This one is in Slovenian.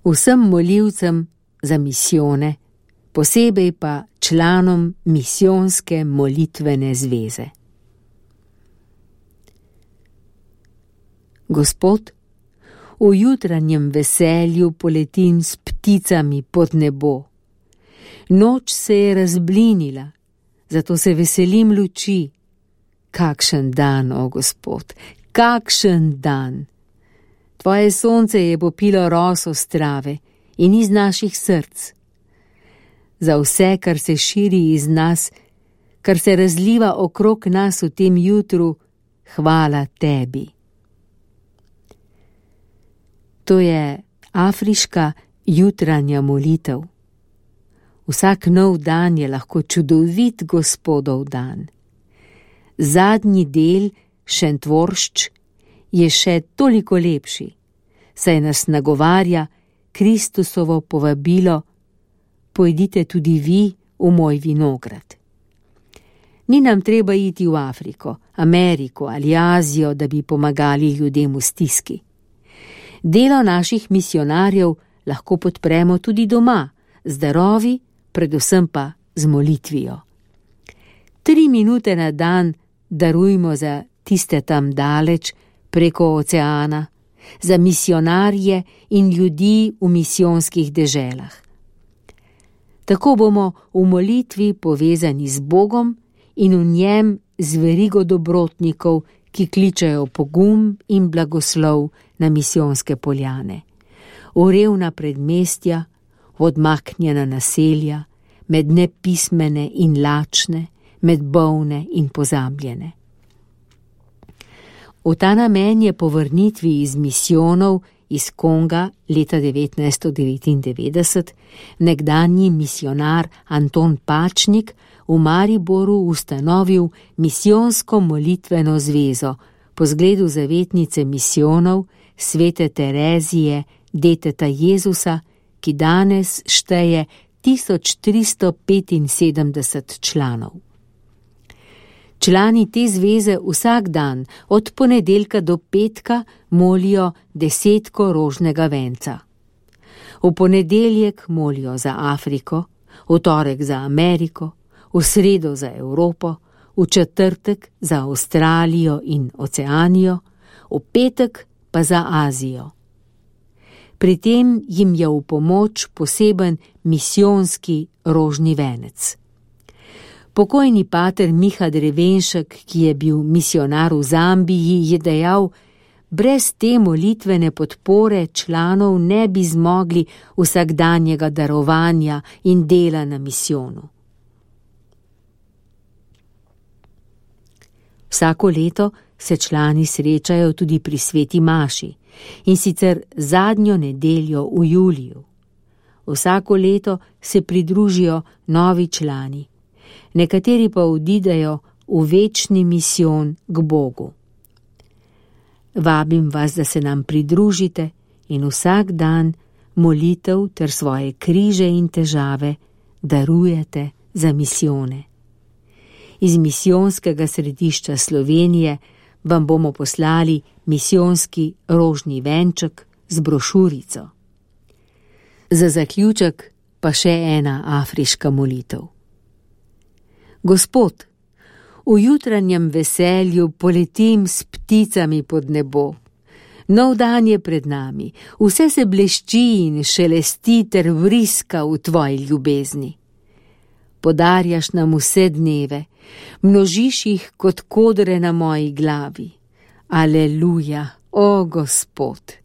Vsem molilcem za misijone, posebej pa članom misijonske molitvene zveze. Gospod, v jutranjem veselju poletim s pticami pod nebo. Noč se je razblinila, zato se veselim luči. Kakšen dan, o Gospod, kakšen dan! Tvoje sonce je popilo roso strave in iz naših src. Za vse, kar se širi iz nas, kar se razliva okrog nas v tem jutru, hvala tebi. To je afriška jutranja molitev. Vsak nov dan je lahko čudovit Gospodov dan. Zadnji del, šentvoršč, je še toliko lepši, saj nas nagovarja Kristusovo povabilo: pojdite tudi vi v moj vinograd. Ni nam treba iti v Afriko, Ameriko ali Azijo, da bi pomagali ljudem v stiski. Delo naših misijonarjev lahko podpremo tudi doma, z darovi, predvsem pa z molitvijo. 3 minute na dan darujmo za tiste tam daleč, preko oceana, za misijonarje in ljudi v misijonskih deželah. Tako bomo v molitvi povezani z Bogom in v njem z verigo dobrotnikov, ki kličejo pogum in blagoslov na misijonske poljane, v revna predmestja, v odmaknjena naselja, med nepismene in lačne, med bolne in pozabljene. V ta namen je po vrnitvi iz misijonov iz Konga leta 1999 nekdanji misijonar Anton Pačnik v Mariboru ustanovil misijonsko molitveno zvezo po zgledu zavetnice misijonov svete Terezije, deteta Jezusa, ki danes šteje 1375 članov. Člani te zveze vsak dan, od ponedeljka do petka, molijo 10 rožnega venca. V ponedeljek molijo za Afriko, v torek za Ameriko, v sredo za Evropo, v četrtek za Avstralijo in Oceanijo, v petek pa za Azijo. Pri tem jim je v pomoč poseben misijonski rožni venec. Pokojni pater Miha Drevenšek, ki je bil misijonar v Zambiji, je dejal: brez te molitvene podpore članov ne bi zmogli vsakdanjega darovanja in dela na misijonu. Vsako leto se člani srečajo tudi pri sveti maši, in sicer zadnjo nedeljo v juliju. Vsako leto se pridružijo novi člani, nekateri pa odidejo v večni misijon k Bogu. Vabim vas, da se nam pridružite in vsak dan molitev ter svoje križe in težave darujete za misijone. Iz misijonskega središča Slovenije vam bomo poslali misijonski rožni venček z brošurico. Za zaključek pa še ena afriška molitev. Gospod, v jutranjem veselju poletim s pticami pod nebo. Nov dan je pred nami, vse se blešči in šelesti ter vriska v tvoji ljubezni. Podarjaš nam vse dneve, množiš jih kot kodre na moji glavi. Aleluja, o Gospod!